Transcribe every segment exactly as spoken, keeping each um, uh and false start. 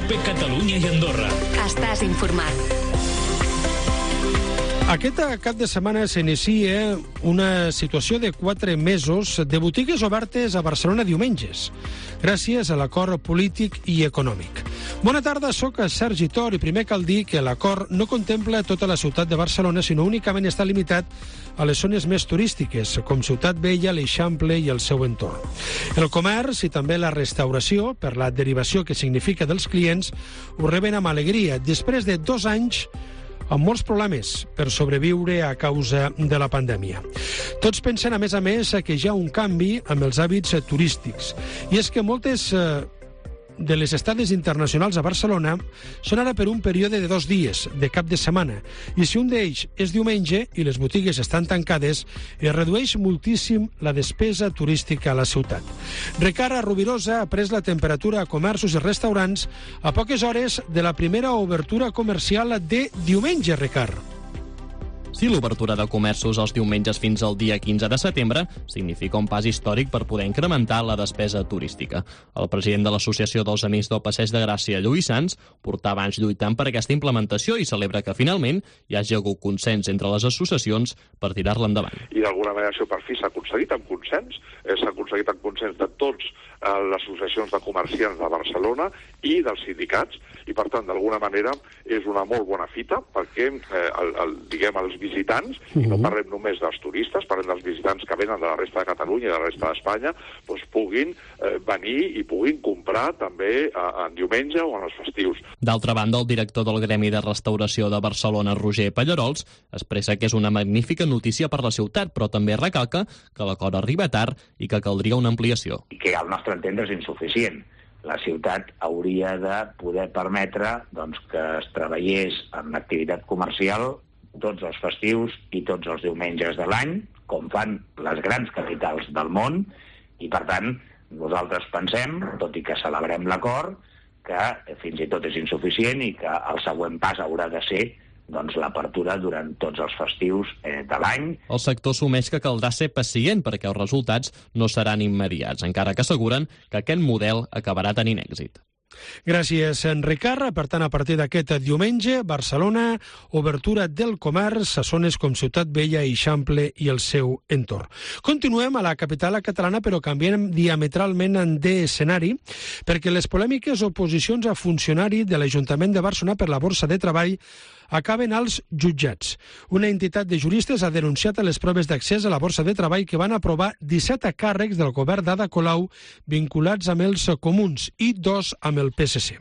COPE Catalunya i Andorra. Estàs informat. Aquest cap de setmana s'inicia una situació de quatre mesos de botigues obertes a Barcelona diumenges, gràcies a l'acord polític i econòmic. Bona tarda, soc Sergi Tor i primer cal dir que l'acord no contempla tota la ciutat de Barcelona, sinó únicament està limitat a les zones més turístiques, com Ciutat Vella, l'Eixample i el seu entorn. El comerç i també la restauració, per la derivació que significa dels clients, ho reben amb alegria, després de dos anys amb molts problemes per sobreviure a causa de la pandèmia. Tots pensen, a més a més, que hi ha un canvi amb els hàbits turístics. I és que moltes eh, de les estades internacionals a Barcelona són ara per un període de dos dies, de cap de setmana. I si un d'ells és diumenge i les botigues estan tancades, es redueix moltíssim la despesa turística a la ciutat. Ricard Rovirosa ha pres la temperatura a comerços i restaurants a poques hores de la primera obertura comercial de diumenge, Ricard. Sí, l'obertura de comerços els diumenges fins al dia quinze de setembre significa un pas històric per poder incrementar la despesa turística. El president de l'Associació dels Amics del Passeig de Gràcia, Lluís Sans, portava anys lluitant per aquesta implementació i celebra que finalment hi hagi hagut consens entre les associacions per tirar-la endavant. I d'alguna manera això per fi s'ha aconseguit amb consens, s'ha aconseguit amb consens de tots eh, les associacions de comerciants de Barcelona i dels sindicats, i per tant d'alguna manera és una molt bona fita perquè eh, el, el, diguem els visitants, i no parlem només dels turistes, parlem dels visitants que venen de la resta de Catalunya i de la resta d'Espanya, doncs puguin eh, venir i puguin comprar també eh, en diumenge o en els festius. D'altra banda, el director del Gremi de Restauració de Barcelona, Roger Pallarols, expressa que és una magnífica notícia per la ciutat, però també recalca que l'acord arriba tard i que caldria una ampliació. I que al nostre entendre és insuficient. La ciutat hauria de poder permetre doncs, que es treballés en l'activitat comercial tots els festius i tots els diumenges de l'any, com fan les grans capitals del món, i per tant nosaltres pensem, tot i que celebrem l'acord, que fins i tot és insuficient i que el següent pas haurà de ser doncs, l'apertura durant tots els festius eh, de l'any. El sector assumeix que caldrà ser pacient perquè els resultats no seran immediats, encara que asseguren que aquest model acabarà tenint èxit. Gràcies, Ricard. Per tant, a partir d'aquest diumenge, Barcelona, obertura del comerç a zones com Ciutat Vella, Eixample i el seu entorn. Continuem a la capital catalana, però canviem diametralment d'escenari, perquè les polèmiques oposicions a funcionari de l'Ajuntament de Barcelona per la Borsa de Treball acaben als jutjats. Una entitat de juristes ha denunciat les proves d'accés a la Borsa de Treball que van aprovar disset càrrecs del govern d'Ada Colau vinculats amb els comuns i dos amb el P S C.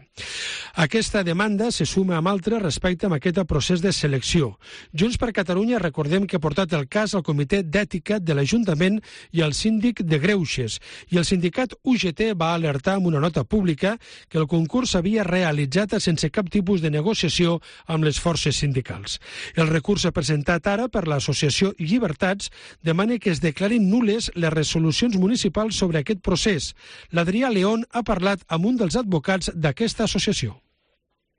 Aquesta demanda se suma amb altres respecte a aquest procés de selecció. Junts per Catalunya, recordem que ha portat el cas al Comitè d'Ètica de l'Ajuntament i al síndic de Greuges, i el sindicat U G T va alertar amb una nota pública que el concurs s'havia realitzat sense cap tipus de negociació amb les forces sindicals. El recurs presentat ara per l'associació Llibertats demana que es declarin nules les resolucions municipals sobre aquest procés. L'Adrià León ha parlat amb un dels advocats d'aquesta associació.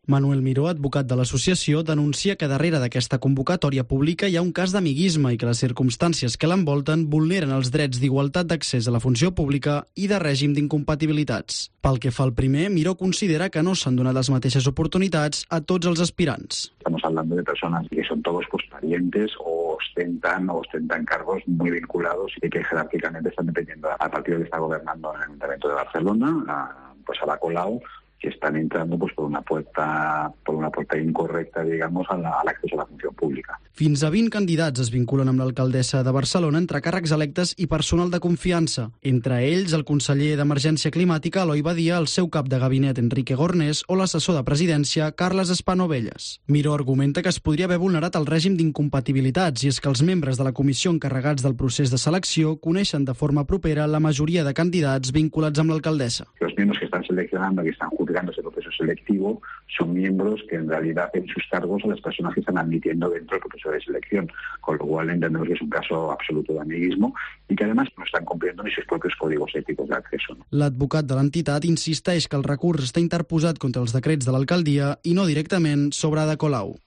Manuel Miró, advocat de l'associació, denuncia que darrere d'aquesta convocatòria pública hi ha un cas d'amiguisme i que les circumstàncies que l'envolten vulneren els drets d'igualtat d'accés a la funció pública i de règim d'incompatibilitats. Pel que fa al primer, Miró considera que no s'han donat les mateixes oportunitats a tots els aspirants. Estamos hablando de personas que son todos pues, parientes o ostentan o ostentan cargos muy vinculados y que jerárquicamente están dependiendo al partido que está gobernando en el Ayuntamiento de Barcelona, a, pues a la Colau, que están entrando pues por una puerta por una puerta incorrecta, digamos, al acceso a la funció pública. Fins a vint candidats es vinculen amb l'alcaldessa de Barcelona entre càrrecs electes i personal de confiança. Entre ells, el conseller d'Emergència Climàtica, Eloi Badia, el seu cap de gabinet, Enrique Gornés, o l'assessor de presidència, Carles Espanovelles. Miró argumenta que es podria haver vulnerat el règim d'incompatibilitats i és que els membres de la comissió encarregats del procés de selecció coneixen de forma propera la majoria de candidats vinculats amb l'alcaldessa. Los miembros que están seleccionando, que están juzgando ese proceso selectivo, son miembros que en realidad en sus cargos a las personas que están admitiendo dentro del proceso de selección, con lo cual entendemos que es un caso absoluto de amiguismo y que además no están cumpliendo ni sus propios códigos éticos de acceso. L'advocat de l'entitat insisteix que el recurs està interposat contra els decrets de l'alcaldia i no directament sobre Ada Colau.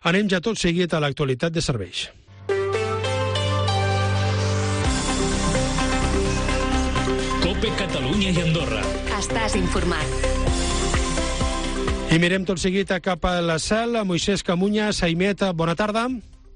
Anem ja tot seguit a l'actualitat de serveis. COPE Catalunya i Andorra. Estàs informat. I mirem tot seguit cap a la cel. Moisès Camunya, Saimet, bona tarda.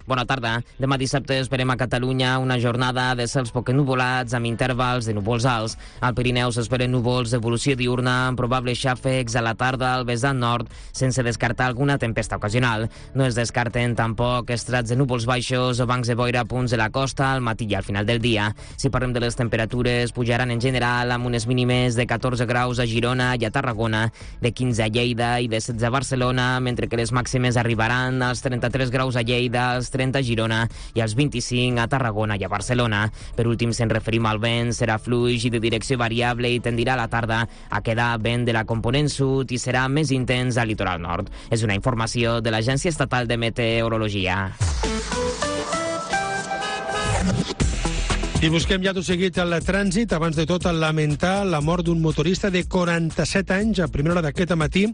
Bona tarda. Demà dissabte esperem a Catalunya una jornada de cels poc ennuvolats amb intervals de núvols alts. Al Pirineu s'esperen núvols d'evolució diurna amb probables xàfecs a la tarda al vessant nord, sense descartar alguna tempesta ocasional. No es descarten tampoc estrats de núvols baixos o bancs de boira a punts de la costa al matí i al final del dia. Si parlem de les temperatures, pujaran en general amb unes mínimes de catorze graus a Girona i a Tarragona, de quinze a Lleida i de setze a Barcelona, mentre que les màximes arribaran als trenta-tres graus a Lleida, als trenta a Girona i als vint-i-cinc a Tarragona i a Barcelona. Per últim, se'n referim al vent, serà fluix i de direcció variable i tendirà a la tarda a quedar vent de la component sud i serà més intens al litoral nord. És una informació de l'Agència Estatal de Meteorologia. I busquem ja tot seguit el trànsit. Abans de tot, lamentar la mort d'un motorista de quaranta-set anys a primera hora d'aquest matí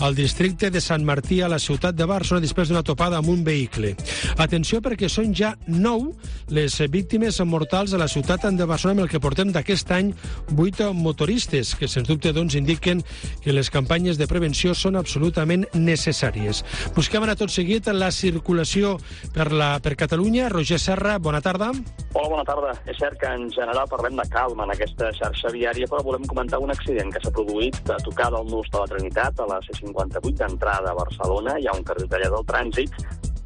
al districte de Sant Martí, a la ciutat de Barcelona, després d'una topada amb un vehicle. Atenció, perquè són ja nou les víctimes mortals a la ciutat de Barcelona, amb el que portem d'aquest any, vuit motoristes, que sens dubte doncs, indiquen que les campanyes de prevenció són absolutament necessàries. Busquem ara tot seguit la circulació per, la, per Catalunya. Roger Serra, bona tarda. Hola, bona tarda. És cert que en general parlem de calma en aquesta xarxa viària, però volem comentar un accident que s'ha produït a tocar del nus de la Trinitat, a la C cinquanta-vuit d'entrada a Barcelona. Hi ha un carril tallat del trànsit.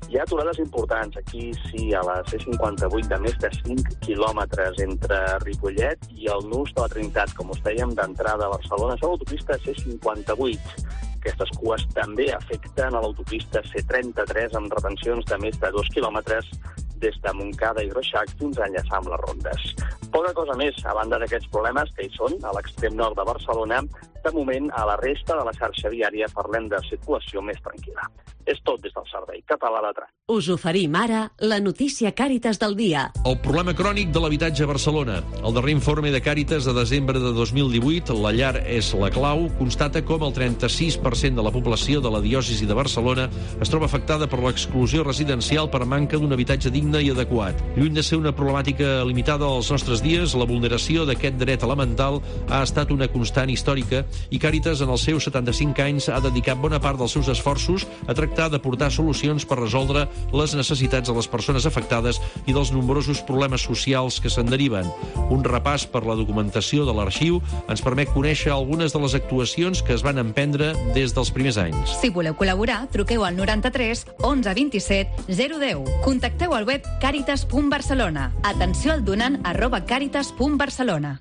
Hi ha aturades importants. Aquí sí, a la C cinquanta-vuit de més de cinc quilòmetres entre Ripollet i el nus de la Trinitat, com us dèiem, d'entrada a Barcelona. Això a l'autopista C cinquanta-vuit. Aquestes cues també afecten a l'autopista C trenta-tres amb retencions de més de dos quilòmetres des de Montcada i Reixac fins a enllaçar amb les rondes. Poca cosa més, a banda d'aquests problemes que hi són a l'extrem nord de Barcelona, de moment a la resta de la xarxa viària parlem de circulació més tranquil·la. És tot des del Servei Català de Trànsit. Us oferim ara la notícia Càritas del dia. El problema crònic de l'habitatge a Barcelona. El darrer informe de Càritas de desembre de dos mil divuit, La llar és la clau, constata com el trenta-sis per cent de la població de la diòcesi de Barcelona es troba afectada per l'exclusió residencial per manca d'un habitatge digne i adequat. Lluny de ser una problemàtica limitada als nostres dies, la vulneració d'aquest dret elemental ha estat una constant històrica i Càritas, en els seus setanta-cinc anys, ha dedicat bona part dels seus esforços a tractar d'aportar solucions per resoldre les necessitats de les persones afectades i dels nombrosos problemes socials que se'n deriven. Un repàs per la documentació de l'arxiu ens permet conèixer algunes de les actuacions que es van emprendre des dels primers anys. Si voleu col·laborar, truqueu al noranta-tres onze vint-i-set zero deu. Contacteu al web caritas punt barcelona. Atenció al donant arroba caritas punt barcelona.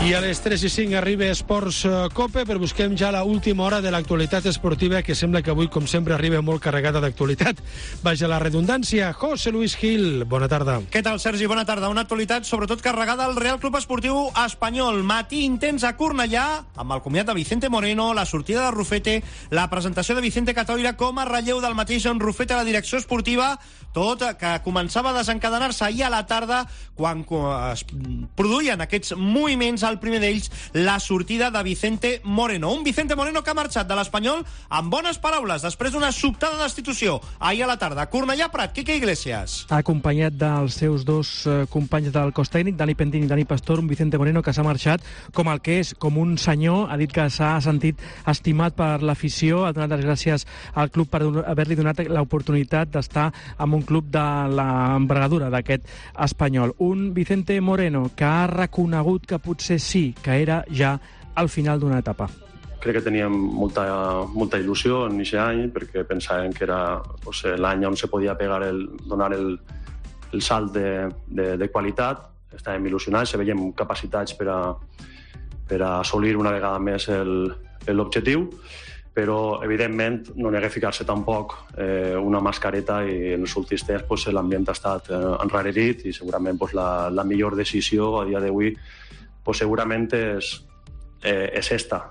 I a les tres i cinc arriba Esports Cope, però busquem ja la última hora de l'actualitat esportiva, que sembla que avui, com sempre, arriba molt carregada d'actualitat. Vaja la redundància. José Luis Gil, bona tarda. Què tal, Sergi? Bona tarda. Una actualitat sobretot carregada al Real Club Esportiu Espanyol. Matí intens a Cornellà, amb el comiat de Vicente Moreno, la sortida de Rufete, la presentació de Vicente Catoira com a relleu del mateix en Rufete a la direcció esportiva, tot que començava a desencadenar-se ahir a la tarda quan es produïen aquests moviments, al primer d'ells la sortida de Vicente Moreno. Un Vicente Moreno que ha marxat de l'Espanyol amb bones paraules després d'una sobtada destitució ahir a la tarda. Cornellà Prat, Quique Iglesias. Acompanyat dels seus dos eh, companys del cos tècnic, Dani Pentín i Dani Pastor, un Vicente Moreno que s'ha marxat com el que és, com un senyor. Ha dit que s'ha sentit estimat per l'afició, ha donat les gràcies al club per haver-li donat l'oportunitat d'estar amb un club de l'envergadura d'aquest Espanyol. Un Vicente Moreno que ha reconegut que potser sí, que era ja al final d'una etapa. Crec que teníem molta, molta il·lusió en aquest any, perquè pensàvem que era pues, l'any on se podia pegar el, donar el, el salt de, de, de qualitat. Estàvem il·lusionats, se veiem capacitats per a, per a assolir una vegada més l'objectiu, però evidentment no n'hi ha que ficar-se tampoc eh, una mascareta, i en els últims temps pues, l'ambient ha estat eh, enrarerit i segurament pues, la, la millor decisió a dia d'avui pues, segurament és, eh, és esta.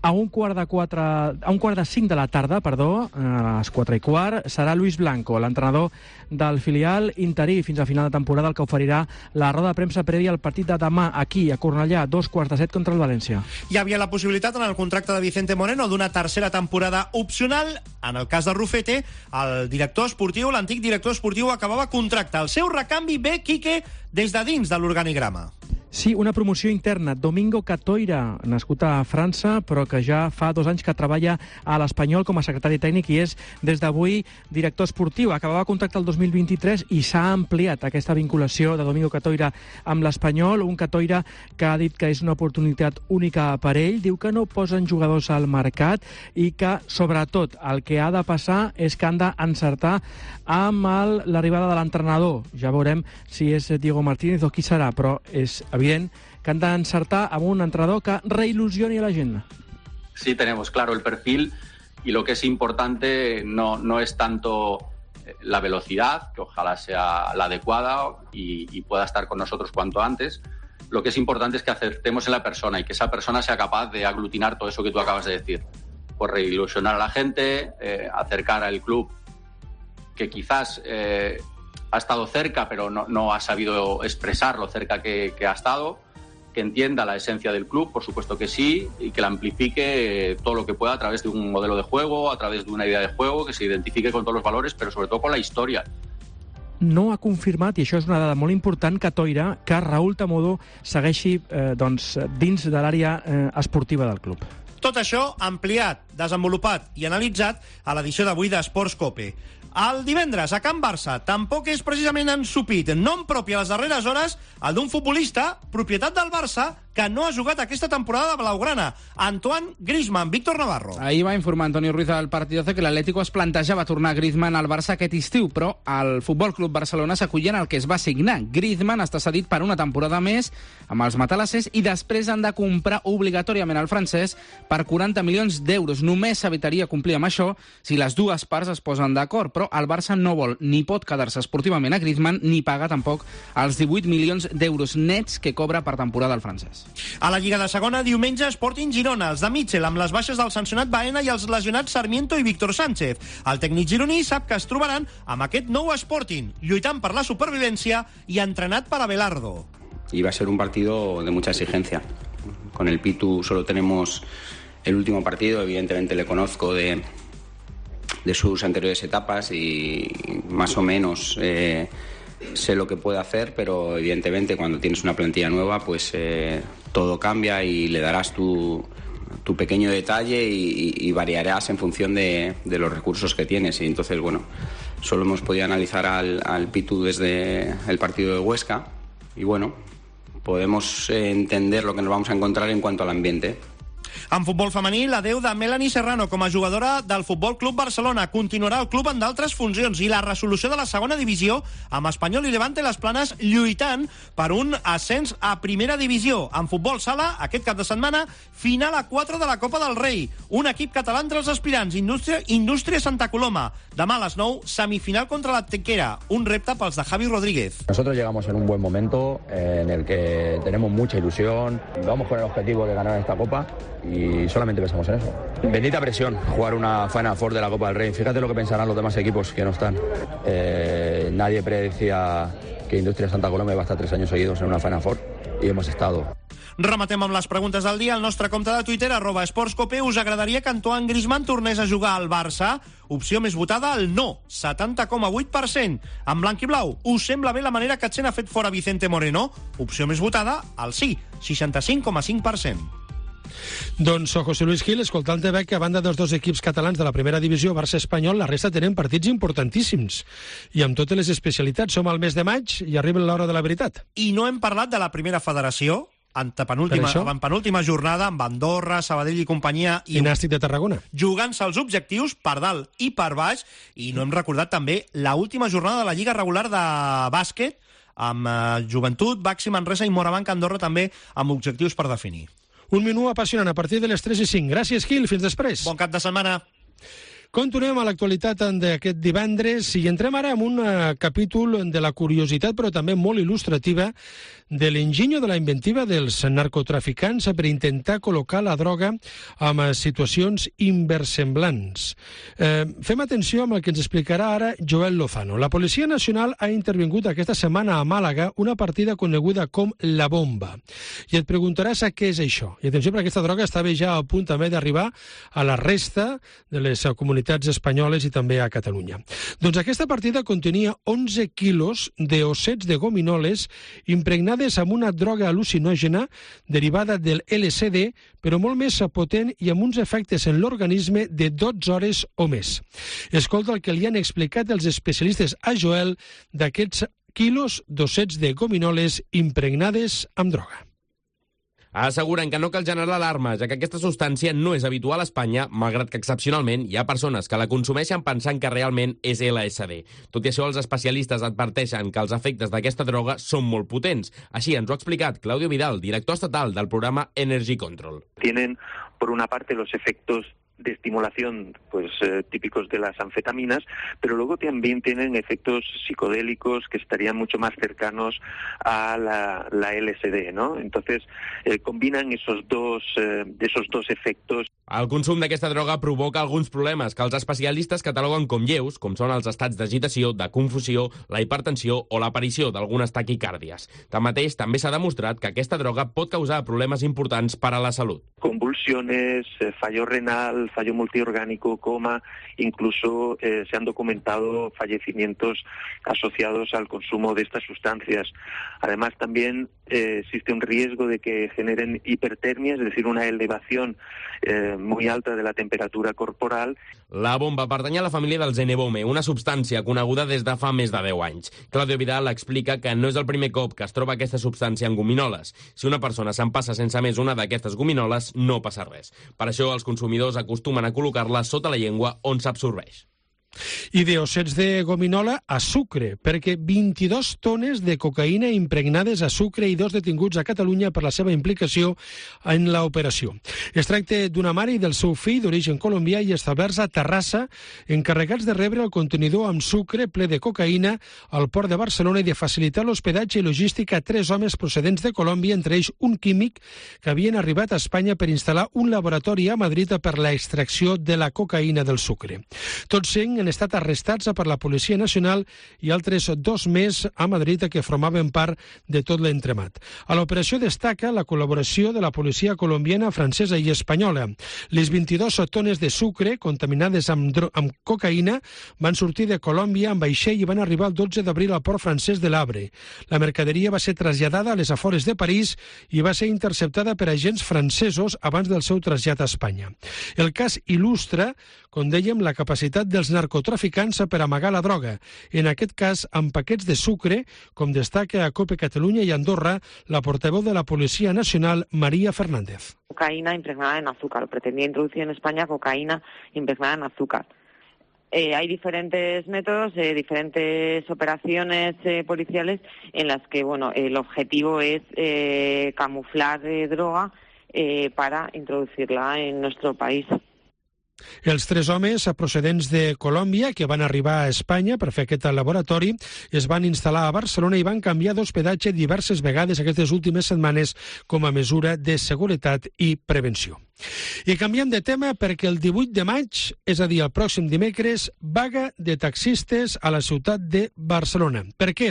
A un quart de quatre, a un quart de cinc de la tarda, perdó, a les quatre i quart, serà Luis Blanco, l'entrenador del filial interí fins a final de temporada, el que oferirà la roda de premsa prèvia al partit de demà aquí, a Cornellà, dos quarts de set contra el València. Hi havia la possibilitat en el contracte de Vicente Moreno d'una tercera temporada opcional. En el cas de Rufete, el director esportiu, l'antic director esportiu, acabava contracte. El seu recanvi ve, Quique, des de dins de l'organigrama. Sí, una promoció interna. Domingo Catoira, nascut a França, però que ja fa dos anys que treballa a l'Espanyol com a secretari tècnic i és des d'avui director esportiu. Acabava contracte el dos mil vint-i-tres i s'ha ampliat aquesta vinculació de Domingo Catoira amb l'Espanyol. Un Catoira que ha dit que és una oportunitat única per ell. Diu que no posen jugadors al mercat i que, sobretot, el que ha de passar és que han d'encertar amb l'arribada de l'entrenador. Ja veurem si és Diego Martínez o qui serà, però és evident que han d'encertar amb un entrenador que reilusioni a la gent. Sí, tenemos claro el perfil y lo que es importante no, no es tanto la velocidad, que ojalá sea la adecuada y, y pueda estar con nosotros cuanto antes. Lo que es importante es que acertemos en la persona y que esa persona sea capaz de aglutinar todo eso que tú acabas de decir. Pues reilusionar a la gente, eh, acercar al club que quizás eh, ha estado cerca, pero no, no ha sabido expresar lo cerca que, que ha estado, que entienda la esencia del club, por supuesto que sí, y que la amplifique todo lo que pueda a través de un modelo de juego, a través de una idea de juego, que se identifique con todos los valores, pero sobre todo con la historia. No ha confirmat, i això és una dada molt important, Catoira, que Raúl Tamodo segueixi eh, doncs, dins de l'àrea eh, esportiva del club. Tot això ampliat, desenvolupat i analitzat a l'edició d'avui d'Esports Cope. El divendres, a Can Barça, tampoc és precisament ensupit. Nom propi a les darreres hores, el d'un futbolista, propietat del Barça, que no ha jugat aquesta temporada de Blaugrana. Antoine Griezmann. Víctor Navarro. Ahir va informar Antonio Ruiz del Partidazo que l'Atlético es plantejava tornar Griezmann al Barça aquest estiu, però el Futbol Club Barcelona s'acollia en el que es va signar. Griezmann està cedit per una temporada més amb els matalassers i després han de comprar obligatòriament el francès per quaranta milions d'euros. Només s'evitaria complir amb això si les dues parts es posen d'acord, però el Barça no vol ni pot quedar-se esportivament a Griezmann ni paga tampoc els divuit milions d'euros nets que cobra per temporada el francès. A la Lliga de Segona, diumenge, Sporting Girona, els de Mitchell, amb les baixes del sancionat Baena i els lesionats Sarmiento i Víctor Sánchez. El tècnic gironí sap que es trobaran amb aquest nou Sporting, lluitant per la supervivència i entrenat per Abelardo. Y va a ser un partido de mucha exigencia. Con el Pitu solo tenemos el último partido, evidentemente le conozco de, de sus anteriores etapas y más o menos... Eh, sé lo que puede hacer, pero evidentemente cuando tienes una plantilla nueva pues eh, todo cambia y le darás tu, tu pequeño detalle y, y variarás en función de, de los recursos que tienes. Y entonces, bueno, solo hemos podido analizar al, al Pitu desde el partido de Huesca y bueno, podemos eh, entender lo que nos vamos a encontrar en cuanto al ambiente. En futbol femení, l'adeu de Melanie Serrano com a jugadora del Futbol Club Barcelona. Continuarà el club en d'altres funcions i la resolució de la segona divisió amb Espanyol i Levante les Planes lluitant per un ascens a primera divisió. En futbol sala, aquest cap de setmana, final a quatre de la Copa del Rei. Un equip català entre els aspirants, Indústria, Indústria Santa Coloma. Demà a les nou, semifinal contra la Tequera. Un repte pels de Javi Rodríguez. Nosotros llegamos en un buen momento en el que tenemos mucha ilusión. Vamos con el objetivo de ganar esta Copa y solamente pensamos en eso. Bendita presión, jugar una Final Four de la Copa del Rey. Fíjate lo que pensarán los demás equipos que no están. Eh, nadie predecía que Indústria Santa Coloma iba a estar tres años seguidos en una Final Four y hemos estado. Rematem amb les preguntes del dia. El nostre compte de Twitter, arroba esportscope. Us agradaria que Antoine Griezmann tornés a jugar al Barça? Opció més votada, el no, setanta coma vuit per cent. En blanc i blau, us sembla bé la manera que Chen ha fet fora Vicente Moreno? Opció més votada, el sí, seixanta-cinc coma cinc per cent. Doncs José Luis Gil, escoltant-te veig que a banda dels dos equips catalans de la primera divisió, Barça Espanyol, la resta tenen partits importantíssims. I amb totes les especialitats, som al mes de maig i arriba l'hora de la veritat. I no hem parlat de la primera federació, en penúltima, en penúltima jornada, amb Andorra, Sabadell i companyia... I, I Nàstic de Tarragona. Jugant-se els objectius per dalt i per baix, i no hem recordat també la última jornada de la Lliga regular de bàsquet, amb eh, Joventut, Baxi Manresa i Morabanc Andorra també amb objectius per definir. Un menú apassionant a partir de les tres i cinc. Gràcies, Gil. Fins després. Bon cap de setmana. Continuem a l'actualitat d'aquest divendres i entrem ara en un uh, capítol de la curiositat, però també molt il·lustrativa, de l'enginyo de la inventiva dels narcotraficants per intentar col·locar la droga en situacions inversemblants. Eh, fem atenció amb el que ens explicarà ara Joel Lozano. La Policia Nacional ha intervingut aquesta setmana a Màlaga una partida coneguda com la bomba. I et preguntaràs a què és això. I atenció, perquè aquesta droga estava ja a punt també d'arribar a la resta de les comunitats autoritats espanyoles i també a Catalunya. Doncs aquesta partida contenia onze quilos d'ossets de gominoles impregnades amb una droga al·lucinògena derivada del L S D, però molt més potent i amb uns efectes en l'organisme de dotze hores o més. Escolta el que li han explicat els especialistes a Joel d'aquests quilos d'ossets de gominoles impregnades amb droga. Asseguren que no cal generar alarma, ja que aquesta substància no és habitual a Espanya, malgrat que excepcionalment hi ha persones que la consumeixen pensant que realment és L S D. Tot i això, els especialistes adverteixen que els efectes d'aquesta droga són molt potents. Així ens ho ha explicat Claudio Vidal, director estatal del programa Energy Control. Tienen, por una parte, los efectos de estimulación pues eh, típicos de las anfetaminas, pero luego también tienen efectos psicodélicos que estarían mucho más cercanos a la, la L S D, ¿no? Entonces eh, combinan esos dos, eh, esos dos efectos. El consum d'aquesta droga provoca alguns problemes que els especialistes cataloguen com lleus, com són els estats d'agitació, de confusió, la hipertensió o l'aparició d'algunes taquicàrdies. Tanmateix, també s'ha demostrat que aquesta droga pot causar problemes importants per a la salut. Convulsiones, eh, fallo renal, fallo multiorgánico, coma, incluso eh, se han documentado fallecimientos asociados al consumo de estas sustancias. Además, también eh, existe un riesgo de que generen hipertermia, es decir, una elevación eh, muy alta de la temperatura corporal. La bomba pertany a la família del Zenebome, una substància coneguda des de fa més de deu anys. Claudio Vidal explica que no és el primer cop que es troba aquesta substància en gominoles. Si una persona s'empassa sense més una d'aquestes gominoles, no passa res. Per això els consumidors acostumen a col·locar-la sota la llengua on s'absorbeix. I d'ossets de gominola a sucre, perquè vint-i-dues tones de cocaïna impregnades a sucre i dos detinguts a Catalunya per la seva implicació en l'operació. Es tracta d'una mare i del seu fill d'origen colombià i establerts a Terrassa, encarregats de rebre el contenidor amb sucre ple de cocaïna al port de Barcelona i de facilitar l'hospedatge i logística a tres homes procedents de Colòmbia, entre ells un químic que havien arribat a Espanya per instal·lar un laboratori a Madrid per la extracció de la cocaïna del sucre. Tots cinc han estat arrestats per la Policia Nacional i altres dos més a Madrid que formaven part de tot l'entremat. A l'operació destaca la col·laboració de la policia colombiana, francesa i espanyola. Les vint-i-dues tones de sucre contaminades amb, amb cocaïna van sortir de Colòmbia amb vaixell i van arribar el dotze d'abril al port francès de l'Havre. La mercaderia va ser traslladada a les afores de París i va ser interceptada per agents francesos abans del seu trasllat a Espanya. El cas il·lustra, com dèiem, la capacitat dels narcotraficants per amagar la droga, en aquest cas amb paquets de sucre, com destaca a COPE Catalunya i Andorra la portaveu de la Policia Nacional, María Fernández. Cocaína impregnada en azúcar. Pretendía introducir en España cocaína impregnada en azúcar. Eh, hay diferentes métodos, eh, diferentes operaciones eh, policiales en las que, bueno, el objetivo es eh, camuflar eh, droga eh, para introducirla en nuestro país. Els tres homes procedents de Colòmbia que van arribar a Espanya per fer aquest laboratori es van instal·lar a Barcelona i van canviar d'hospedatge diverses vegades aquestes últimes setmanes com a mesura de seguretat i prevenció. I canviem de tema perquè el divuit de maig, és a dir, el pròxim dimecres, vaga de taxistes a la ciutat de Barcelona. Per què?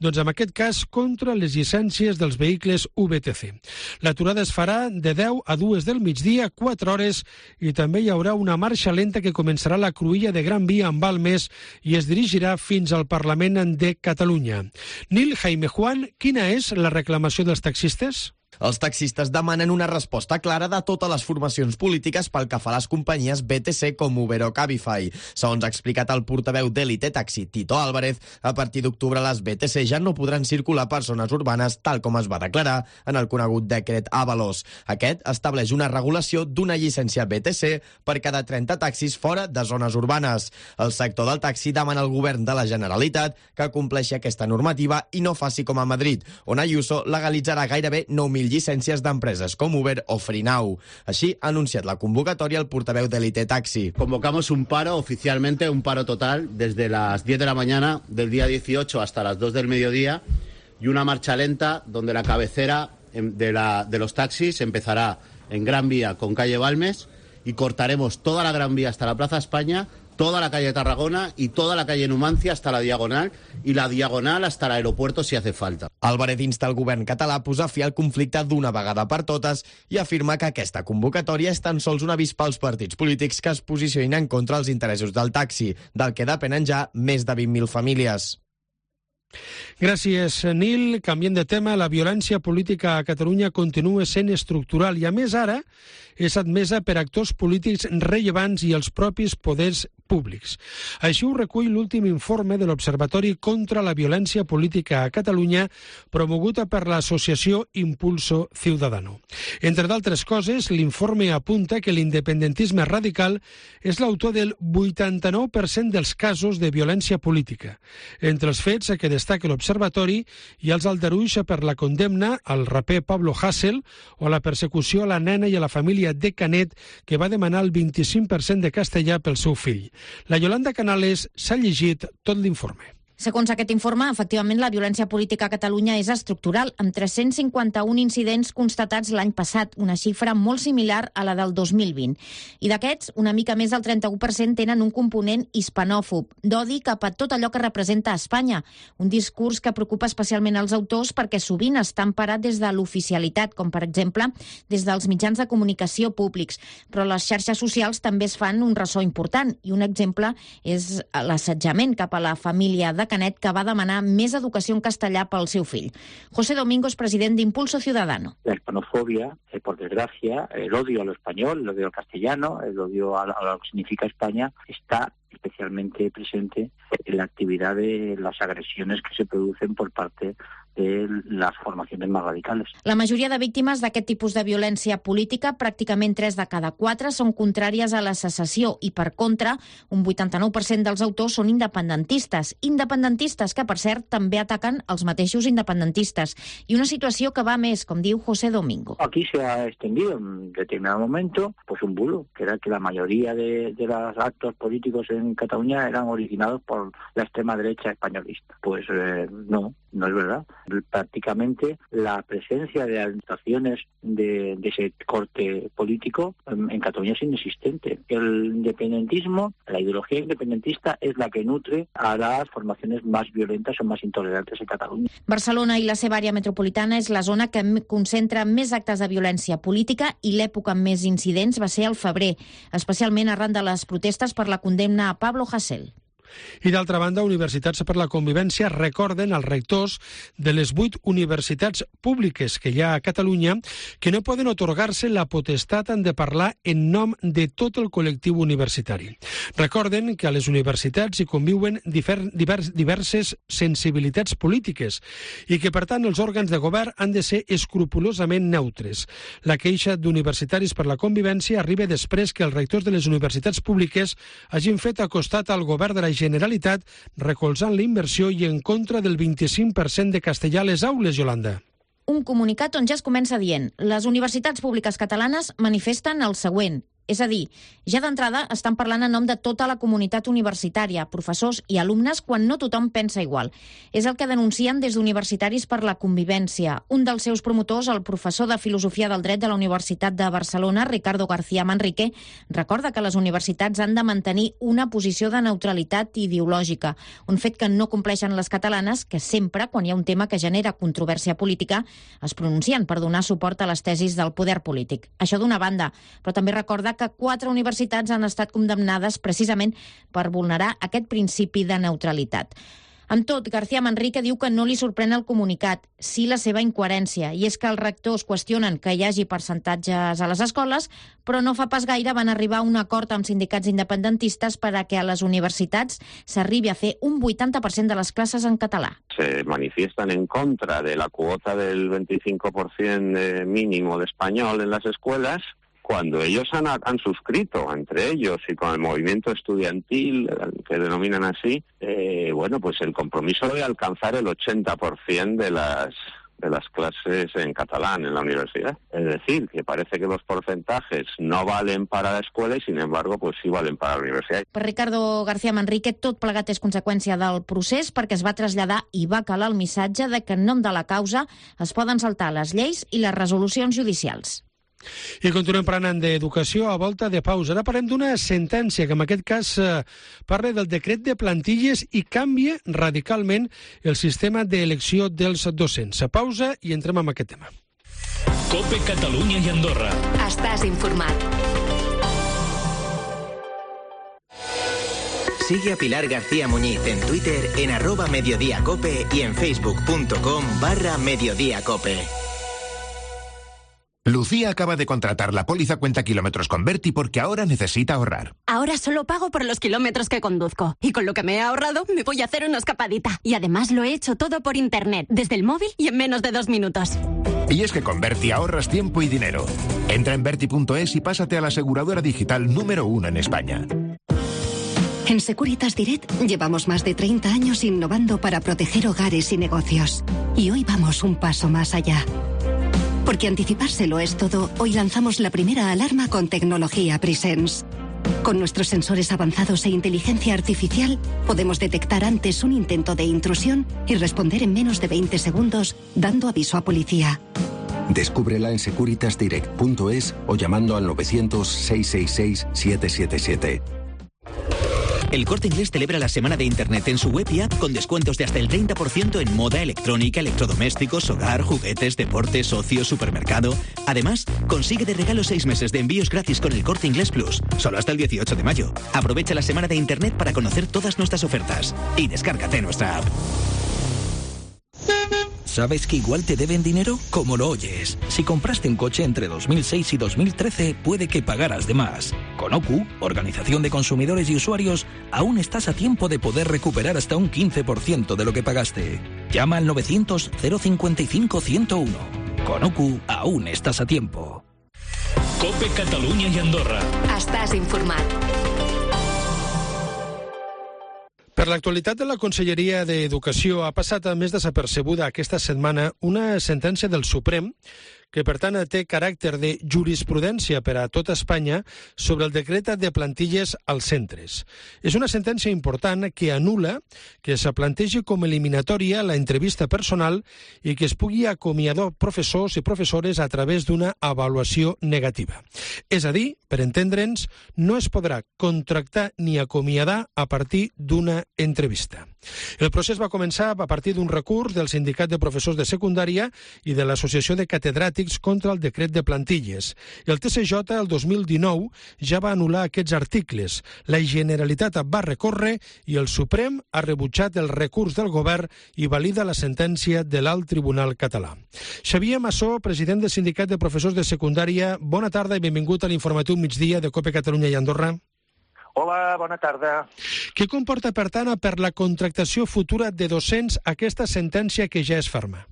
Doncs en aquest cas contra les llicències dels vehicles U V T C. L'aturada es farà de deu a dues del migdia, quatre hores, i també hi haurà una marxa lenta que començarà a la cruïlla de Gran Via amb Balmes i es dirigirà fins al Parlament de Catalunya. Nil Jaime Juan, quina és la reclamació dels taxistes? Els taxistes demanen una resposta clara de totes les formacions polítiques pel que fa a les companyies B T C com Uber o Cabify. Segons ha explicat el portaveu d'Elite Taxi, Tito Álvarez, a partir d'octubre les B T C ja no podran circular per zones urbanes tal com es va declarar en el conegut decret Ábalos. Aquest estableix una regulació d'una llicència B T C per cada trenta taxis fora de zones urbanes. El sector del taxi demana al govern de la Generalitat que compleixi aquesta normativa i no faci com a Madrid, on Ayuso legalitzarà gairebé nou mil llicències d'empreses com Uber o Freenow. Així ha anunciat la convocatòria el portaveu d'Elite Taxi. Convocamos un paro oficialmente, un paro total, desde las diez de la mañana del día dieciocho hasta las dos del mediodía y una marcha lenta donde la cabecera de, la, de los taxis empezará en Gran Vía con calle Balmes y cortaremos toda la Gran Vía hasta la Plaza España, toda la calle Tarragona y toda la calle Numancia hasta la Diagonal y la Diagonal hasta el aeropuerto si hace falta. Álvarez insta el govern català a posar fi al conflicte d'una vegada per totes i afirma que aquesta convocatòria és tan sols un avís pels partits polítics que es posicionin en contra els interessos del taxi, del que depenen ja més de vint mil famílies. Gràcies, Nil. Canviant de tema, la violència política a Catalunya continua sent estructural i, a més, ara és admesa per actors polítics rellevants i els propis poders públics. Així ho recull l'últim informe de l'Observatori contra la Violència Política a Catalunya, promoguda per l'associació Impulso Ciudadano. Entre d'altres coses, l'informe apunta que l'independentisme radical és l'autor del vuitanta-nou per cent dels casos de violència política. Entre els fets que destaca l'Observatori hi ha els aldarulls per la condemna al raper Pablo Hasél o la persecució a la nena i a la família de Canet, que va demanar el vint-i-cinc per cent de castellà pel seu fill. La Yolanda Canales s'ha llegit tot l'informe. Segons aquest informe, efectivament, la violència política a Catalunya és estructural, amb tres-cents cinquanta-un incidents constatats l'any passat, una xifra molt similar a la del dos mil vint. I d'aquests, una mica més del trenta-u per cent tenen un component hispanòfob, d'odi cap a tot allò que representa Espanya, un discurs que preocupa especialment els autors perquè sovint està emparat des de l'oficialitat, com per exemple des dels mitjans de comunicació públics. Però les xarxes socials també es fan un ressò important, i un exemple és l'assetjament cap a la família de Canet, que va demanar més educació en castellà pel seu fill. José Domingo es president de Impulso Ciudadano. La hispanofobia, eh, por desgracia, el odio a lo español, el odio al castellano, el odio a, a lo que significa España, está especialmente presente en la actividad de las agresiones que se producen por parte de las formaciones más radicales. La majoria de víctimes d'aquest tipus de violència política, pràcticament tres de cada quatre, són contràries a la secessió i, per contra, un vuitanta-nou per cent dels autors són independentistes. Independentistes que, per cert, també ataquen els mateixos independentistes. I una situació que va més, com diu José Domingo. Aquí se ha extendido en determinado momento pues un bulo, que era que la mayoría de, de los actos políticos en Cataluña eran originados por la extrema derecha españolista. Pues eh, no, no es verdad. Prácticamente la presencia de administraciones de, de ese corte político en, en Cataluña es inexistente. El independentismo, la ideología independentista es la que nutre a las formaciones más violentas o más intolerantes en Catalunya. Barcelona i la seva àrea metropolitana és la zona que concentra més actes de violència política i l'època amb més incidents va ser al febrer, especialment arran de les protestes per la condemna a Pablo Hasél. I d'altra banda, Universitats per la Convivència recorden als rectors de les vuit universitats públiques que hi ha a Catalunya que no poden otorgar-se la potestat de parlar en nom de tot el col·lectiu universitari. Recorden que a les universitats hi conviuen difer, divers, diverses sensibilitats polítiques i que, per tant, els òrgans de govern han de ser escrupolosament neutres. La queixa d'Universitaris per la Convivència arriba després que els rectors de les universitats públiques hagin fet acostat al govern de la Generalitat recolzant la inversió i en contra del vint-i-cinc per cent de castellà a les aules, Yolanda. Un comunicat on ja es comença dient: les universitats públiques catalanes manifesten el següent. És a dir, ja d'entrada estan parlant en nom de tota la comunitat universitària, professors i alumnes, quan no tothom pensa igual. És el que denuncien des d'Universitaris per la Convivència. Un dels seus promotors, el professor de Filosofia del Dret de la Universitat de Barcelona, Ricardo García Manrique, recorda que les universitats han de mantenir una posició de neutralitat ideològica, un fet que no compleixen les catalanes, que sempre, quan hi ha un tema que genera controvèrsia política, es pronuncien per donar suport a les tesis del poder polític. Això d'una banda, però també recorda que quatre universitats han estat condemnades precisament per vulnerar aquest principi de neutralitat. Amb tot, García Manrique diu que no li sorprèn el comunicat, sí la seva incoherència, i és que els rectors qüestionen que hi hagi percentatges a les escoles, però no fa pas gaire van arribar a un acord amb sindicats independentistes per a que a les universitats s'arribi a fer un vuitanta per cent de les classes en català. Se manifiestan en contra de la cuota del veinticinco por ciento mínimo de español en las escuelas, cuando ellos han, han suscrito entre ellos y con el movimiento estudiantil, que denominan así, eh, bueno, pues el compromiso de alcanzar el ochenta por ciento de las de las clases en catalán en la universidad. Es decir, que parece que los porcentajes no valen para la escuela y, sin embargo, pues sí valen para la universidad. Per Ricardo García Manrique, tot plegat és conseqüència del procés perquè es va traslladar i va calar el missatge de que en nom de la causa es poden saltar les lleis i les resolucions judicials. I continuem parlant d'educació a volta de pausa. Ara parlem d'una sentència que en aquest cas eh, parla del decret de plantilles i canvia radicalment el sistema d'elecció dels docents. A pausa i entrem amb aquest tema. COPE Catalunya i Andorra. Estàs informat. Sigue a Pilar García Muñiz en Twitter en arroba mediodíacope y en facebook.com barra mediodíacope. Lucía acaba de contratar la póliza cuenta kilómetros con Berti porque ahora necesita ahorrar. Ahora solo pago por los kilómetros que conduzco. Y con lo que me he ahorrado, me voy a hacer una escapadita. Y además lo he hecho todo por internet, desde el móvil y en menos de dos minutos. Y es que con Berti ahorras tiempo y dinero. Entra en berti punto es y pásate a la aseguradora digital número uno en España. En Securitas Direct llevamos más de treinta años innovando para proteger hogares y negocios. Y hoy vamos un paso más allá. Porque anticipárselo es todo, hoy lanzamos la primera alarma con tecnología Presence. Con nuestros sensores avanzados e inteligencia artificial, podemos detectar antes un intento de intrusión y responder en menos de veinte segundos, dando aviso a policía. Descúbrela en securitas direct punto es o llamando al novecientos, seiscientos sesenta y seis, setecientos setenta y siete. El Corte Inglés celebra la semana de Internet en su web y app con descuentos de hasta el treinta por ciento en moda, electrónica, electrodomésticos, hogar, juguetes, deportes, ocio, supermercado. Además, consigue de regalo seis meses de envíos gratis con el Corte Inglés Plus, solo hasta el dieciocho de mayo. Aprovecha la semana de Internet para conocer todas nuestras ofertas y descárgate nuestra app. ¿Sabes que igual te deben dinero? Como lo oyes. Si compraste un coche entre dos mil seis y dos mil trece, puede que pagaras de más. Con O C U, Organización de Consumidores y Usuarios, aún estás a tiempo de poder recuperar hasta un quince por ciento de lo que pagaste. Llama al novecientos, cero cincuenta y cinco, ciento uno. Con O C U, aún estás a tiempo. COPE Catalunya i Andorra. Estàs informat. Per l'actualitat de la Conselleria d'Educació ha passat a més desapercebuda aquesta setmana una sentència del Suprem que, per tant, té caràcter de jurisprudència per a tota Espanya sobre el decret de plantilles als centres. És una sentència important que anul·la que se plantegi com eliminatòria la entrevista personal i que es pugui acomiadar professors i professores a través d'una avaluació negativa. És a dir, per entendre'ns, no es podrà contractar ni acomiadar a partir d'una entrevista. El procés va començar a partir d'un recurs del Sindicat de Professors de Secundària i de l'Associació de Catedràtics contra el decret de plantilles. El T C J el dos mil dinou ja va anul·lar aquests articles. La Generalitat va recórrer i el Suprem ha rebutjat el recurs del govern i valida la sentència de l'Alt Tribunal Català. Xavier Massó, president del Sindicat de Professors de Secundària, bona tarda i benvingut a l'informatiu migdia de COPE Catalunya i Andorra. Hola, bona tarda. Què comporta, per tant, per la contractació futura de docents aquesta sentència que ja és ferma?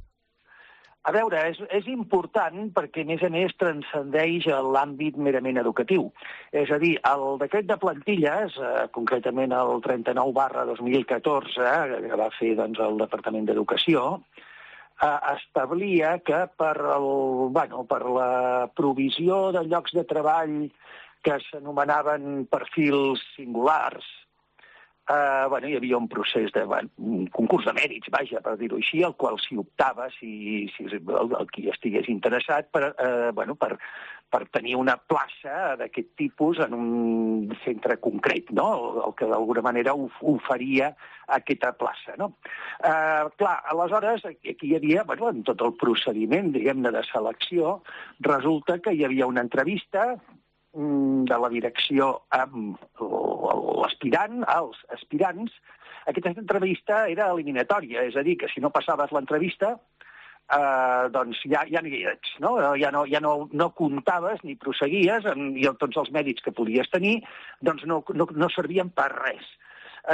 A veure, és, és important perquè, a més a més, transcendeix l'àmbit merament educatiu. És a dir, el decret de plantilles, eh, concretament el trenta-nou barra dos mil catorze, eh, que va fer doncs, el Departament d'Educació, eh, establia que per, el, bueno, per la provisió de llocs de treball que s'anomenaven perfils singulars, eh, bueno, hi havia un procés de bueno, un concurs de mèrits, vaja, per dir-ho així, al qual s'hi optava si, si el, el qui estigués interessat per, eh, bueno, per, per tenir una plaça d'aquest tipus en un centre concret, no? el, el que d'alguna manera oferia aquesta plaça. No? Eh, clar, aleshores, aquí hi havia, bueno, en tot el procediment, diguem-ne, de selecció, resulta que hi havia una entrevista de la direcció amb l'aspirant, els aspirants. Aquesta entrevista era eliminatòria, és a dir, que si no passaves l'entrevista, eh, doncs ja, ja no hi ets, no? Ja, no, ja no, no comptaves ni prosseguies, i tots els mèrits que podies tenir doncs no, no, no servien per res.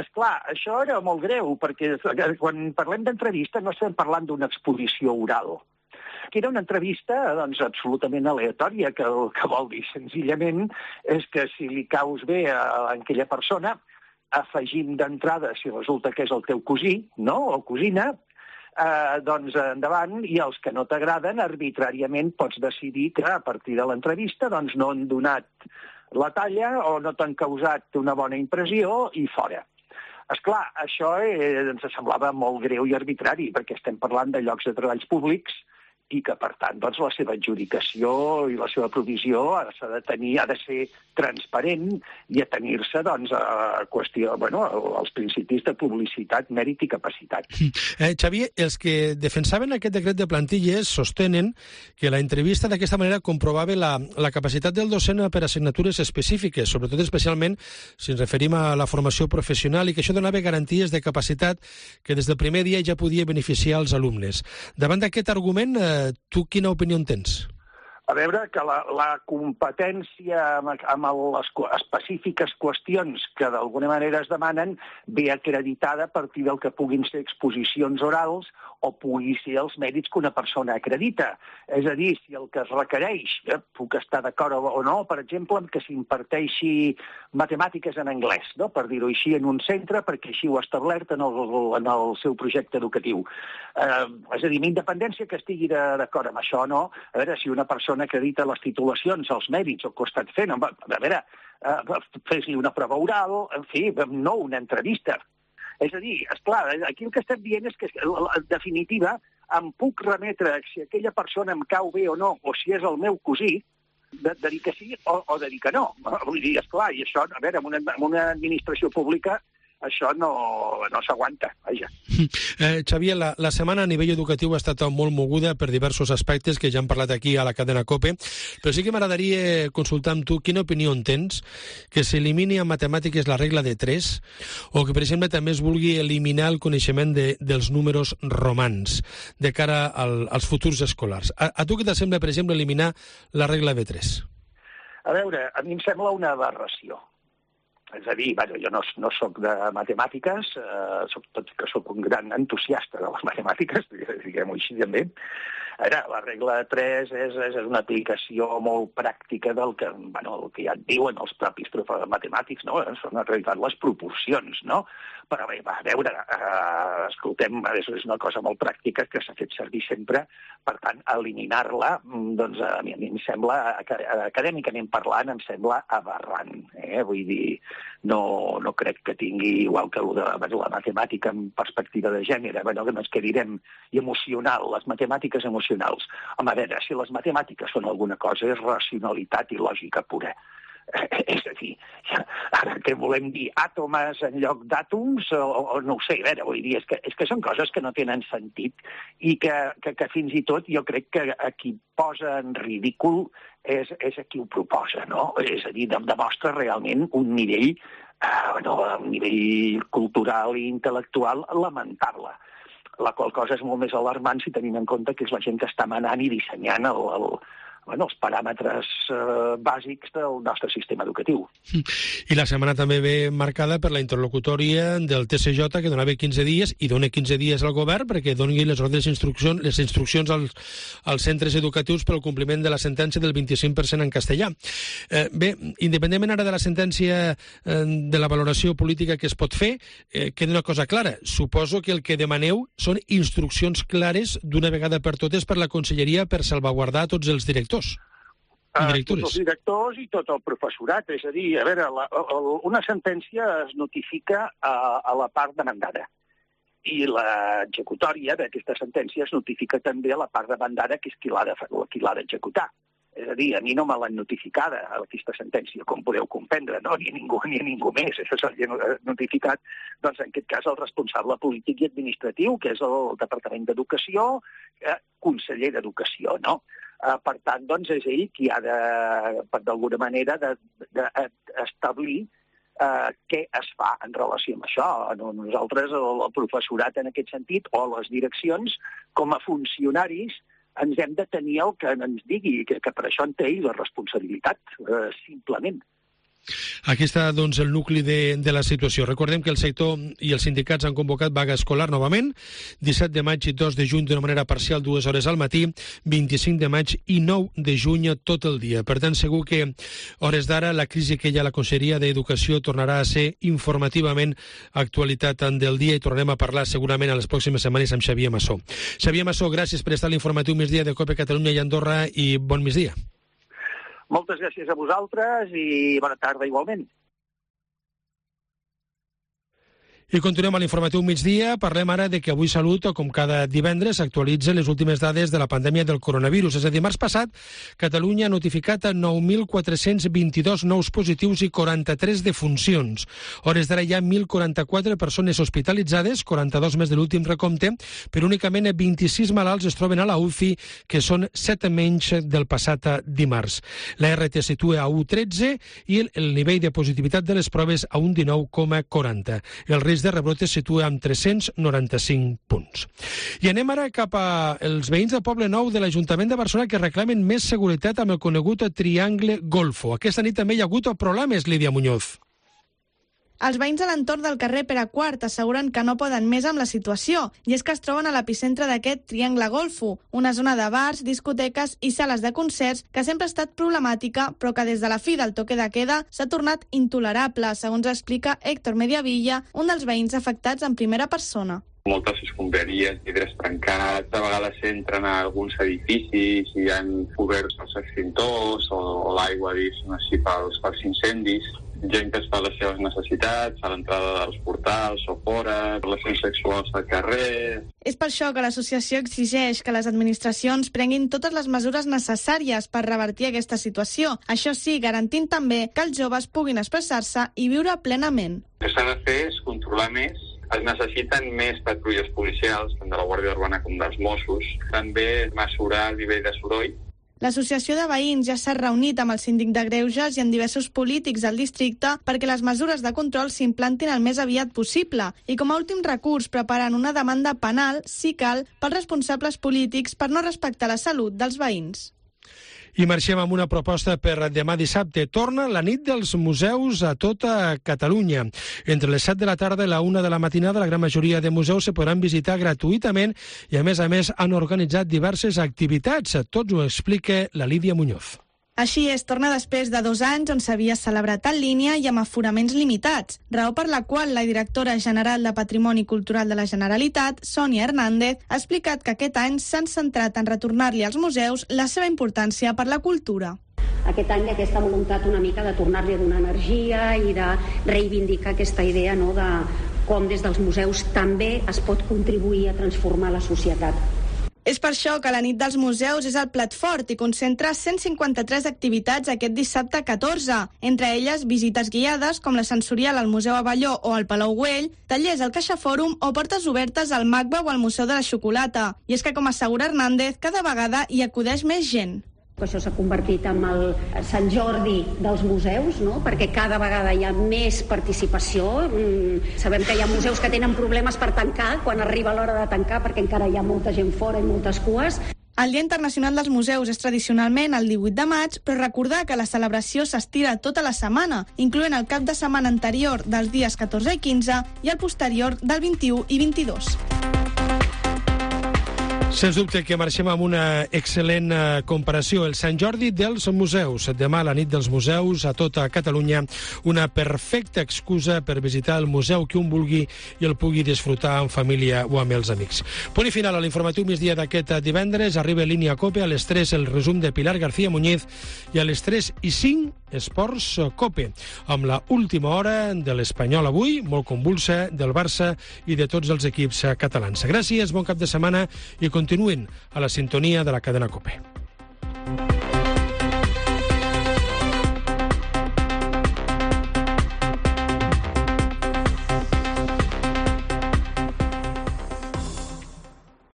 Esclar, això era molt greu, perquè quan parlem d'entrevista no estem parlant d'una exposició oral, que era una entrevista doncs, absolutament aleatòria, que el que vol dir senzillament és que si li caus bé a, a aquella persona, afegim d'entrada, si resulta que és el teu cosí, no?, o cosina, eh, doncs endavant, i els que no t'agraden, arbitràriament pots decidir que a partir de l'entrevista doncs, no han donat la talla o no t'han causat una bona impressió i fora. Esclar, això eh, ens semblava molt greu i arbitrari, perquè estem parlant de llocs de treballs públics i que, per tant, doncs, la seva adjudicació i la seva provisió s'ha de tenir, ha de ser transparent i atenir-se doncs, a qüestió, bueno, als principis de publicitat, mèrit i capacitat. Eh, Xavier, els que defensaven aquest decret de plantilles sostenen que la entrevista d'aquesta manera comprovava la, la capacitat del docent per assignatures específiques, sobretot especialment si ens referim a la formació professional, i que això donava garanties de capacitat que des del primer dia ja podia beneficiar els alumnes. Davant d'aquest argument, eh, tu quina opinió en tens? A veure, que la, la competència amb, amb les específiques qüestions que d'alguna manera es demanen ve acreditada a partir del que puguin ser exposicions orals o pugui ser els mèrits que una persona acredita. És a dir, si el que es requereix, eh, puc estar d'acord o no, per exemple, amb que s'imparteixi matemàtiques en anglès, no? Per dir-ho així, en un centre, perquè així ho ha establert en el, en el seu projecte educatiu. Eh, és a dir, amb independència que estigui d'acord amb això o no, a veure, si una persona acredita les titulacions, els mèrits, el que ho ha estat fent, a veure, eh, fes-li una prova oral, en fi, no una entrevista. És a dir, esclar, aquí el que estem dient és que, en definitiva, em puc remetre si aquella persona em cau bé o no, o si és el meu cosí, de, de dir que sí o, o de dir que no. Vull dir, esclar, i això, a veure, en una, en una administració pública això no, no s'aguanta, vaja. Eh, Xavier, la, la setmana a nivell educatiu ha estat molt moguda per diversos aspectes que ja hem parlat aquí a la cadena COPE, però sí que m'agradaria consultar amb tu quina opinió en tens que s'elimini en matemàtiques la regla de tres o que, per exemple, també es vulgui eliminar el coneixement de, dels números romans de cara al, als futurs escolars. A, a tu què t'assembla, per exemple, eliminar la regla de tres? A veure, a mi em sembla una aberració. És a dir, bueno, jo no, no soc de matemàtiques, eh, soc, tot que soc un gran entusiasta de les matemàtiques, diguem-ho així també. Ara, la regla de tres és, és una aplicació molt pràctica del que, bueno, el que ja et diuen els propis matemàtics, no? Són en realitat les proporcions, no? Però bé, va, a veure, eh, escoltem, és una cosa molt pràctica que s'ha fet servir sempre, per tant, eliminar-la, doncs a mi, a mi em sembla, acadèmicament parlant, em sembla aberrant, eh? Vull dir, no, no crec que tingui, igual que de la matemàtica en perspectiva de gènere, bueno, que ens que direm, i emocional, les matemàtiques emocionals. Home, a veure, si les matemàtiques són alguna cosa, és racionalitat i lògica pura. És a dir, ara què volem dir, àtomes en lloc d'àtoms, o, o no ho sé, a veure, vull dir, és que, és que són coses que no tenen sentit i que, que, que fins i tot jo crec que a qui posa en ridícul és, és a qui ho proposa, no? És a dir, demostra realment un nivell, eh, bueno, un nivell cultural i intel·lectual lamentable, la qual cosa és molt més alarmant si tenim en compte que és la gent que està manant i dissenyant el, el, bueno, els paràmetres eh, bàsics del nostre sistema educatiu. I la setmana també ve marcada per la interlocutòria del T C J, que donava quinze dies, i dona quinze dies al govern perquè doni les ordres d'instruccions, les instruccions als, als centres educatius pel compliment de la sentència del vint-i-cinc per cent en castellà. Eh, bé, independentment ara de la sentència eh, de la valoració política que es pot fer, eh, queda una cosa clara. Suposo que el que demaneu són instruccions clares d'una vegada per totes per la Conselleria per salvaguardar tots els directors. Uh, tots els directors i tot el professorat. És a dir, a veure, la, la, una sentència es notifica a, a la part demandada i l'executòria d'aquesta sentència es notifica també a la part demandada, que és qui l'ha de, qui l'ha d'executar. És a dir, a mi no me l'han notificada, aquesta sentència, com podeu comprendre, no? Ni a ningú, ni a ningú més. Això s'ha notificat, doncs, en aquest cas, el responsable polític i administratiu, que és el Departament d'Educació, eh, conseller d'Educació, no? Uh, per tant, doncs, és ell qui ha de, d'alguna manera, d'establir uh, què es fa en relació amb això. Nosaltres, el, el professorat en aquest sentit, o les direccions, com a funcionaris, ens hem de tenir el que ens digui, que, que per això en té ell la responsabilitat, uh, simplement. Aquí està, doncs, el nucli de, de la situació. Recordem que el sector i els sindicats han convocat vaga escolar novament, disset de maig i dos de juny d'una manera parcial, dues hores al matí, vint-i-cinc de maig i nou de juny tot el dia. Per tant, segur que, hores d'ara, la crisi que hi ha a la Conselleria d'Educació tornarà a ser informativament actualitat del dia i tornarem a parlar segurament a les pròximes setmanes amb Xavier Massó. Xavier Massó, gràcies per estar a l'informatiu Migdia de COPE Catalunya i Andorra i bon migdia. Moltes gràcies a vosaltres i bona tarda igualment. I continuem a l'informatiu migdia. Parlem ara de que Avui Salut, com cada divendres, actualitza les últimes dades de la pandèmia del coronavirus. És a dir, dimarts passat, Catalunya ha notificat nou mil quatre-cents vint-i-dos nous positius i quaranta-tres defuncions. A hores d'ara hi ha mil quaranta-quatre persones hospitalitzades, quaranta-dos més de l'últim recompte, però únicament vint-i-sis malalts es troben a la U C I, que són set menys del passat dimarts. La R T situa a u coma tretze i el nivell de positivitat de les proves a un dinou coma quaranta. El risc de rebrote es situa amb tres-cents noranta-cinc punts. I anem ara cap als veïns del Poble Nou de l'Ajuntament de Barcelona que reclamen més seguretat amb el conegut Triangle Golfo. Aquesta nit també hi ha hagut problemes, Lídia Muñoz. Els veïns a l'entorn del carrer Pere Quart asseguren que no poden més amb la situació, i és que es troben a l'epicentre d'aquest Triangle Golfo, una zona de bars, discoteques i sales de concerts que sempre ha estat problemàtica, però que des de la fi del toque de queda s'ha tornat intolerable, segons explica Héctor Mediavilla, un dels veïns afectats en primera persona. Moltes escombraries, vidres trencats, a vegades entren a alguns edificis i han obert els extintors o, o l'aigua dins així pels, pels incendis. Gent que es fa les seves necessitats a l'entrada dels portals o fora, relacions sexuals al carrer. És per això que l'associació exigeix que les administracions prenguin totes les mesures necessàries per revertir aquesta situació. Això sí, garantint també que els joves puguin expressar-se i viure plenament. El que s'ha de fer és controlar més. Es necessiten més patrulles policials, tant de la Guàrdia Urbana com dels Mossos. També mesurar el nivell de soroll. L'associació de veïns ja s'ha reunit amb el síndic de Greuges i amb diversos polítics del districte perquè les mesures de control s'implantin el més aviat possible i com a últim recurs preparen una demanda penal, si cal, pels responsables polítics per no respectar la salut dels veïns. I marxem amb una proposta per demà dissabte. Torna la nit dels museus a tota Catalunya. Entre les set de la tarda i la una de la matinada, la gran majoria de museus se podran visitar gratuïtament i, a més a més, han organitzat diverses activitats. Tots ho explica la Lídia Muñoz. Així és, torna després de dos anys on s'havia celebrat en línia i amb aforaments limitats, raó per la qual la directora general de Patrimoni Cultural de la Generalitat, Sònia Hernández, ha explicat que aquest any s'han centrat en retornar-li als museus la seva importància per la cultura. Aquest any aquesta voluntat una mica de tornar-li a donar energia i de reivindicar aquesta idea, no, de com des dels museus també es pot contribuir a transformar la societat. És per això que la nit dels museus és el plat fort i concentra cent cinquanta-tres activitats aquest dissabte catorze, entre elles visites guiades com la sensorial al Museu Avelló o al Palau Güell, tallers al Caixa Fòrum o portes obertes al MACBA o al Museu de la Xocolata. I és que, com assegura Hernández, cada vegada hi acudeix més gent. Això s'ha convertit en el Sant Jordi dels museus, no? Perquè cada vegada hi ha més participació. Mm, sabem que hi ha museus que tenen problemes per tancar quan arriba l'hora de tancar perquè encara hi ha molta gent fora i moltes cues. El Dia Internacional dels Museus és tradicionalment el divuit de maig, però recordar que la celebració s'estira tota la setmana, incloent el cap de setmana anterior dels dies catorze i quinze i el posterior del vint-i-u i vint-i-dos. Sens dubte que marxem amb una excel·lent comparació. El Sant Jordi dels museus. Demà, la nit dels museus a tota Catalunya. Una perfecta excusa per visitar el museu que un vulgui i el pugui disfrutar en família o amb els amics. Punt i final a l'informatiu migdia d'aquest divendres. Arriba Línia Cope a les tres el resum de Pilar García Muñiz i a les tres i cinc Esports Cope, amb la última hora de l'Espanyol avui, molt convulsa, del Barça i de tots els equips catalans. Gràcies, bon cap de setmana i continuïn a la sintonia de la cadena Cope.